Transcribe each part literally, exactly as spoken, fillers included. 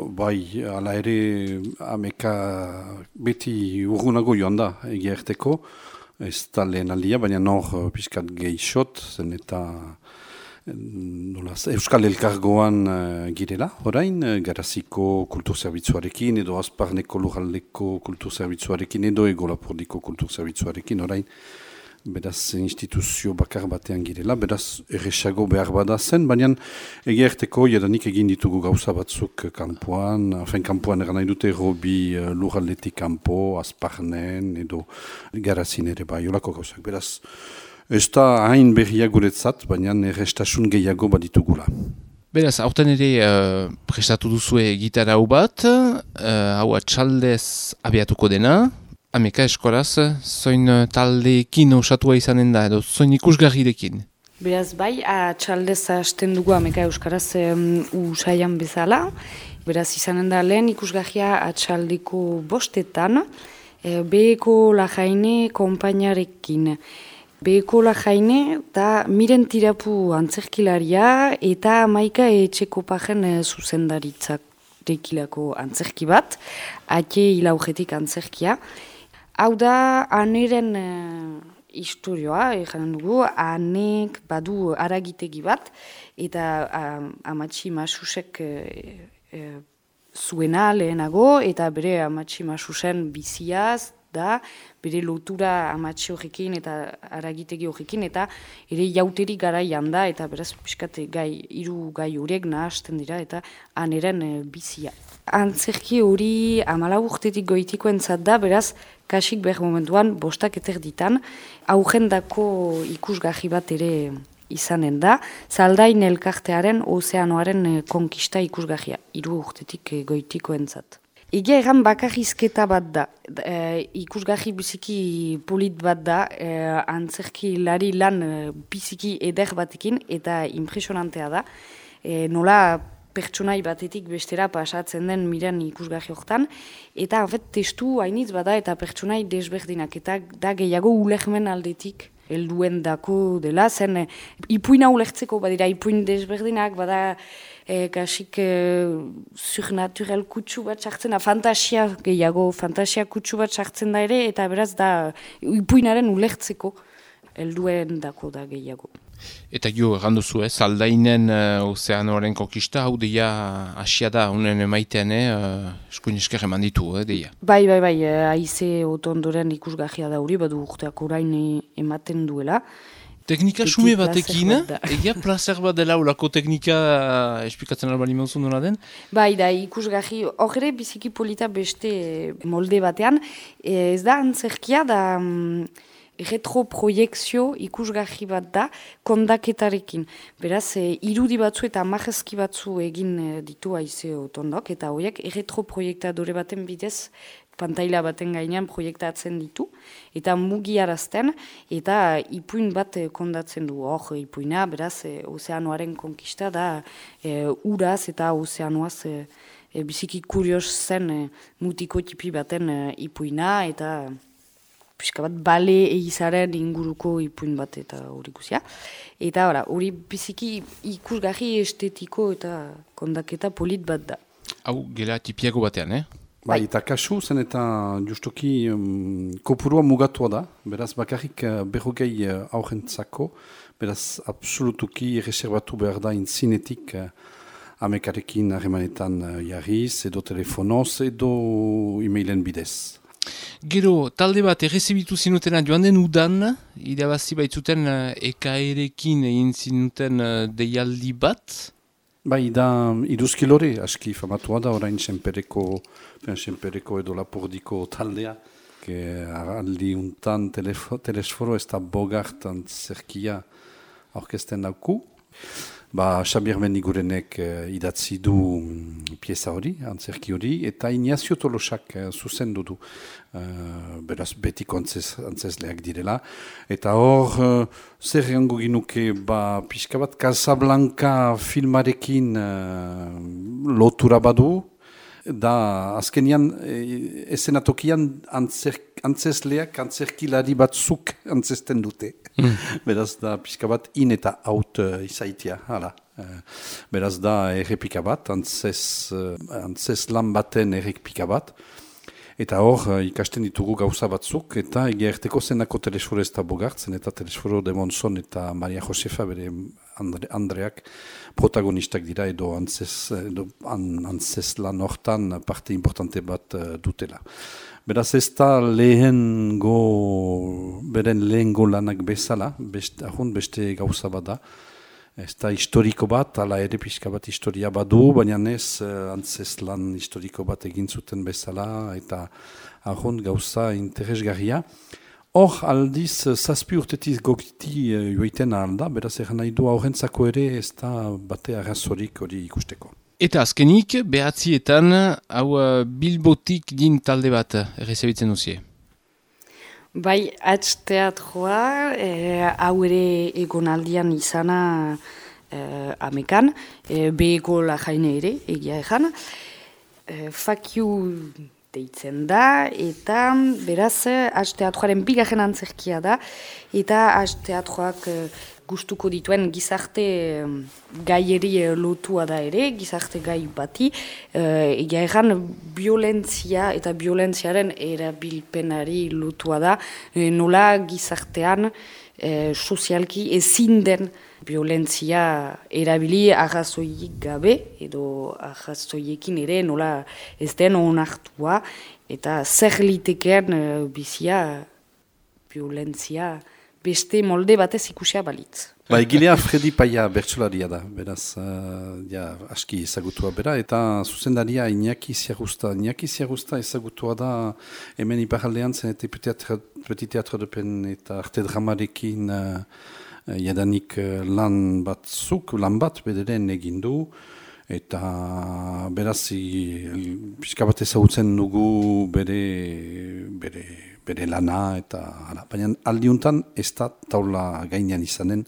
bai, ala ere ameka beti urgunago joan da, egia erteko, ez da lehen aldia, baina nor pixkat geixot, zen eta nolaz, Euskal Elkargoan uh, girela, orain, uh, Garaziko kulturzerbitzuarekin, edo Azparneko Lurraldeko kulturzerbitzuarekin, edo Egolapordiko kulturzerbitzuarekin, orain, beraz instituzio bakar batean girela, beraz erresago behar bada zen, baina egerteko jadanik egin ditugu gauza batzuk kanpoan, afen kanpoan eran nahi dute Robi uh, Lurraldetik kanpo, Azparnen edo Garazin ere bai, olako gauzak, beraz ez da hain berria guretzat, baina errestasun gehiago baditugula. Beraz, aurten ere uh, prestatu duzue gitara hau bat, uh, hau atxaldez abiatuko dena, Ameka eskoraz, zoin taldeekin osatua izanen da, edo zoin ikusgarrirekin? Beraz, bai, atxaldez hasten dugu Ameka euskaraz um, usaian bezala. Beraz, izanen da lehen ikusgarria atxaldeko bostetan, e, Beheko Lajaine konpainarekin. Beheko Lajaine eta Miren Tirapu antzerkilaria eta Maika Etxeko Pajen e, zuzendaritzak rekilako antzerki bat, ate hilaugetik antzerkia. Hau da, aneren uh, historioa, egin dugu, anek badu aragitegi bat, eta uh, amatxi masusek uh, uh, zuena lehenago, eta bere amatxi masusen biziaz, da, bere lotura amatxi horrekin eta aragitegi horrekin, eta ere jauteri garaian da, eta beraz, piskate gai, hiru gai horiek nahasten dira, eta aneren uh, bizia. Antzerki hori amalau urtetik goitiko entzat da, beraz, kasik behar momentuan bostak eterditan, aurrendako ikusgarri bat ere izanen da, Zaldain elkartearen ozeanoaren konkista ikusgarria, hiru urtetik goitiko entzat. Egia egan bakarrizketa bat da, e, ikusgarri biziki polit bat da, e, antzerki lari lan biziki eder batekin, eta impresionantea da, e, nola pertsonai batetik bestera pasatzen den Miren ikusgarri hortan, eta hafet testu hainitz bada eta pertsonai desberdinak, eta da gehiago ulermen aldetik helduen dako dela, zen e, ipuina ulertzeko badira ipuin desberdinak, bada e, kasik e, surnaturel kutsu bat sartzen da, fantasia gehiago, fantasia kutsu bat sartzen da ere, eta beraz da ipuinaren ulertzeko helduen dako da gehiago. Eta jo, erranduzu, eh? Zaldainen uh, ozeanoaren konkista, hau deia asia da, unen emaitean, eh? uh, eskuin esker eman ditu, eh, deia. Bai, bai, bai, haize otondoren ikusgarria da hori, badu urteak orain ematen duela. Teknika sume batekin, egia placer bat dela ulako teknika uh, esplikatzen albali mauzun duna den? Bai, da, ikusgarri, hor ere biziki polita beste molde batean, ez da antzerkia da... Um, retroproiekzio ikusgarri bat da kondaketarekin. Beraz, e, irudi batzu eta amajezki batzu egin e, ditu haize otondok, eta horiek retroproiektadore baten bidez pantaila baten gainean proiektatzen ditu, eta mugiarazten, eta ipuin bat e, kondatzen du. Hor, ipuina, beraz, e, ozeanoaren konkista da e, uraz eta ozeanoaz e, e, biziki kurios zen e, mutiko tipi baten e, ipuina, eta... Piska bat, bale egizaren inguruko ipuin bat eta hori guzia. Eta hori biziki ikusgarri estetiko eta kondaketa polit bat da. Hau, gela tipiago batean, eh? Bai, eta kasu zen eta justuki um, kopurua mugatua da, beraz bakarrik uh, berrogei uh, aurrentzako, beraz absolutuki reservatu behar da intzinetik uh, amekarekin harremanetan uh, jarriz, edo telefonoz, edo e-mailen bidez. Gero, talde bat errezibitu zinutena joan den udan, irabazi baitzuten uh, ekaerekin egin zinuten uh, deialdi bat? Bai, da iduzkilore, aski famatua da, orain senpereko, senpereko edo lapordiko taldea, que aldi untan telesforo ez da bogartan zerkia aurkezten dauku. Ba, Xabier Mendigurenek uh, idatzi du um, pieza hori, antzerki hori, eta Ignacio Tolosak uh, zuzendu du, uh, beraz betiko antzez, antzezleak direla. Eta hor, uh, zer gango ginuke, ba, pixka bat Casablanca filmarekin uh, lotura badu, da azkenian e, esenatokian antzer, antzesleak antzerkilari batzuk antzesten dute. Mm. Beraz da pixka bat in eta out uh, izaitia, hala. Uh, beraz da errepika bat, antzes, uh, antzes lan baten errepika bat. Eta hor, uh, ikasten ditugu gauza batzuk, eta egia erteko zenako Telesforo ez da bogartzen, eta Telesforo de Monson eta Maria Josefa bere Andre, Andreak protagonistak dira, edo antzes, edo an, antzes lan hortan parte importante bat uh, dutela. Beraz ez da lehengo, beren lehengo lanak bezala, beste, ahun beste gauza bat da. Ez da historiko bat, ala ere pixka bat historia badu, baina ez uh, antzes lan historiko bat egin zuten bezala, eta ahun gauza interesgarria. Hor aldiz, zazpi urtetiz gogiti uh, joiten alda, beraz egan nahi du aurrentzako ere ez da bate arrazorik hori ikusteko. Eta azkenik, behatzietan, hau uh, Bilbotik din talde bat errezabitzen duzie. Bai, Hatz teatroa, eh, hau ere egonaldian izana eh, amekan, eh, beheko lajaine ere, egia egan. Eh, Fakiu deitzen da, eta beraz, Hatz teatroaren bigarren antzerkia da, eta Hatz teatroak eh, gustuko dituen gizarte gaieri lotua da ere, gizarte gai bati, uh, egia egan violentzia eta violentziaren erabilpenari lotua da, e, nola gizartean e, sozialki ezin den violentzia erabili arrazoiik gabe, edo arrazoiekin ere nola ez den onartua, eta zer liteken e, bizia violentzia beste molde batez ikusia balitz. Ba, egilea Fredi Paia bertsolaria da, beraz, uh, ja, aski ezagutua bera, eta zuzendaria Iñaki Ziagusta. Iñaki Ziagusta ezagutua da hemen iparaldean zen eta Petit Teatro de Pen eta arte dramarekin uh, jadanik uh, lan batzuk, lan bat bederen egindu, eta beraz, pixka bat ezagutzen dugu bere, bere, bere lana, eta hala. Baina aldiuntan ez da taula gainean izanen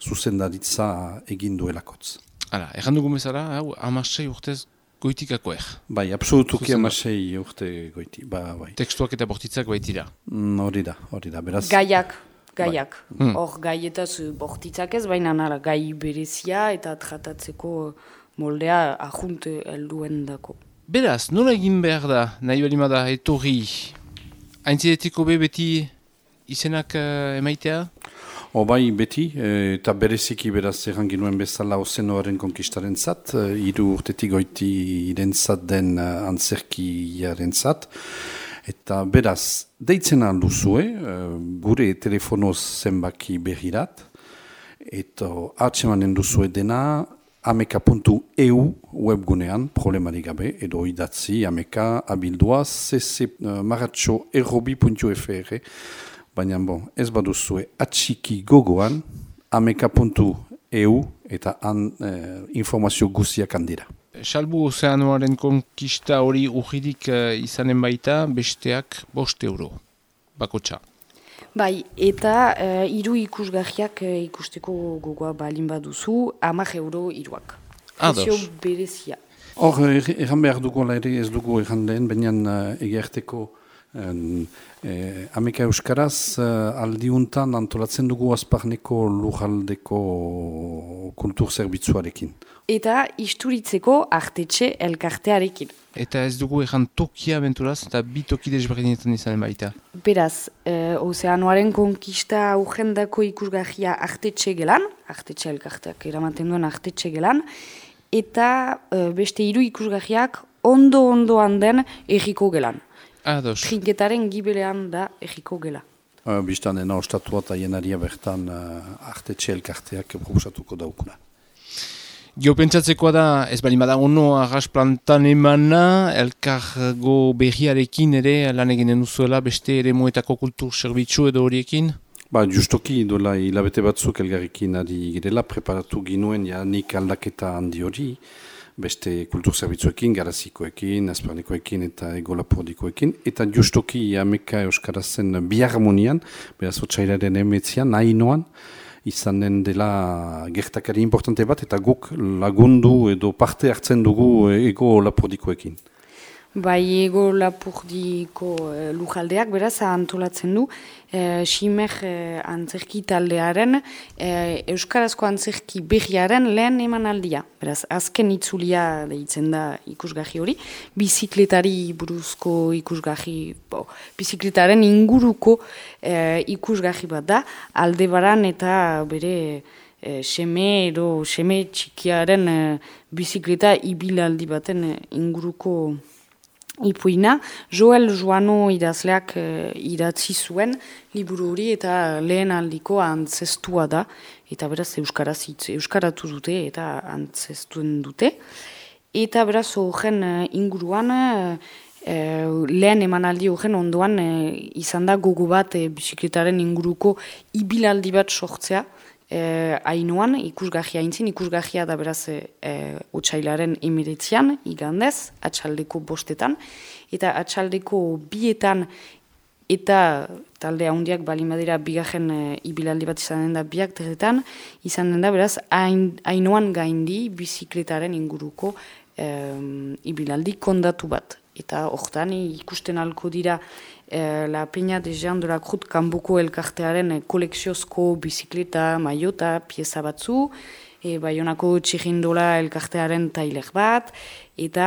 zuzendaritza egin duelakotz. Hala, erran dugu bezala, hau, amasei urtez goitikakoer. Bai, absolutuki amasei urte goiti, ba, bai. Tekstuak eta bortitzak baitira. Mm, hori da, hori da, beraz. Gaiak, gaiak. Bai. Hor gaietaz bortitzak ez, baina nara, gai berezia eta tratatzeko moldea ajunt helduen dako. Beraz, nola egin behar da, nahi balimada, etorri, aintzidetiko be beti izenak uh, emaitea? O bai beti, e, eta bereziki beraz erran ginuen bezala Ozenoaren konkistaren zat, e, iru urtetik goiti irentzat den uh, antzerkiaren zat. Eta beraz, deitzen alduzue, e, gure telefonoz zenbaki berrirat, eta hartzemanen duzue dena ameka puntu e u webgunean, problemarik gabe, edo idatzi ameka abildua cc uh, maratxo errobi puntu fr, baina bon, ez baduzue atxiki gogoan ameka puntu e u eta han eh, informazio guziak handira. Salbu Ozeanoaren konkista hori urridik uh, izanen baita, besteak bost euro, bakotxa. Bai, eta uh, hiru ikusgarriak uh, ikusteko gogoa balin baduzu, hamar euro hiruak. Prezio berezia. Hor, erran behar dugu ere ez dugu erran lehen, baina uh, egerteko um, eh, ameka euskaraz uh, aldiuntan antolatzen dugu azparneko lujaldeko kulturzerbitzuarekin. Eta isturitzeko artetxe elkartearekin. Eta ez dugu ejan tokia benturaz, eta bi toki desberdinetan izanen baita. Beraz, eh, Ozeanoaren konkista aurrendako ikusgarria artetxe gelan, artetxe elkarteak eramaten duen artetxe gelan, eta eh, beste hiru ikusgarriak ondo-ondoan den erriko gelan. Ados. Trinketaren gibelean da erriko gela. Uh, Bistan dena ostatua eta jenaria bertan uh, artetxe elkarteak proposatuko daukuna. Gio pentsatzekoa da, ez bali bada ono arras plantan emana, elkargo berriarekin ere lan eginen duzuela, beste ere moetako kultur zerbitzu edo horiekin? Ba, justoki duela hilabete batzuk elgarrekin ari girela, preparatu ginuen janik aldaketa handi hori, beste kultur zerbitzuekin, garazikoekin, azparnekoekin eta egolapordikoekin, eta justoki ameka euskarazen biharmonian, beraz otsailaren emetzian, nahi noan, izanen dela gertakari importante bat, eta guk lagundu edo parte hartzen dugu ego lapordikoekin. Bai, ego lapurdiko e, lujaldeak beraz antolatzen du e, Simer e, antzerki taldearen e, euskarazko antzerki berriaren lehen emanaldia. Beraz, azken itzulia deitzen da ikusgarri hori, bizikletari buruzko ikusgarri, bo, bizikletaren inguruko e, ikusgarri bat da, Aldebaran eta bere e, seme edo seme txikiaren e, bizikleta ibilaldi baten e, inguruko ipuina. Joel Joano idazleak e, idatzi zuen liburu hori eta lehen aldiko antzestua da, eta beraz euskaraz hitz, euskaratu dute eta antzestuen dute. Eta beraz horren e, inguruan e, lehen emanaldi horren ondoan e, izan da gogo bat e, bizikletaren inguruko ibilaldi bat sortzea. Eh, Ainoan, ikusgarria aintzin, ikusgarria da beraz eh, otsailaren emiretzian, igandez, atxaldeko bostetan, eta atxaldeko bietan eta talde handiak balin badira bigarren eh, ibilaldi bat izan den da biak terretan, izan den da beraz hain, Ainoan gaindi bizikletaren inguruko eh, ibilaldi kondatu bat. Eta hortan ikusten alko dira eh, La Peña de Jean de la Cruz kanboko elkartearen eh, koleksiozko bizikleta, maiota, pieza batzu, e, Baionako txirindola elkartearen tailer bat, eta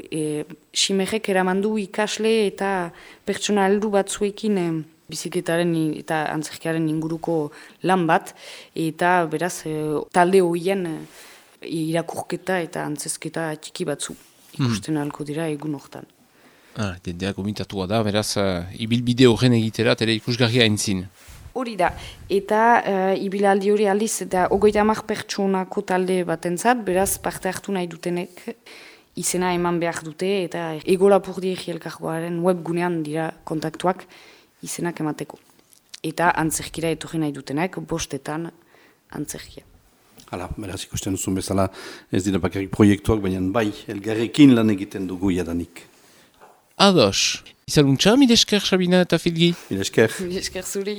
e, Simerrek eramandu ikasle eta pertsona heldu batzuekin e, bizikletaren eta antzerkiaren inguruko lan bat, eta beraz e, talde horien e, irakurketa eta antzezketa txiki batzu. Ikusten hmm. alko dira egun hortan. Ah, Dendeak gomitatua da, beraz, uh, ibilbide horren egitera, tere ikusgarria entzin. Hori da, eta uh, ibilaldi hori aldiz, eta ogoita hamar pertsonako talde batentzat, beraz parte hartu nahi dutenek izena eman behar dute, eta Ego Lapurdi Elkargoaren webgunean dira kontaktuak izenak emateko. Eta antzerkira etorri nahi dutenek, bostetan antzerkia. Hala, beraz ikusten duzun bezala ez dira bakarrik proiektuak, baina bai, elgarrekin lan egiten dugu jadanik. Ados, izaluntza, mil esker, Sabina eta Filgi? Mil esker. Mil esker zuri.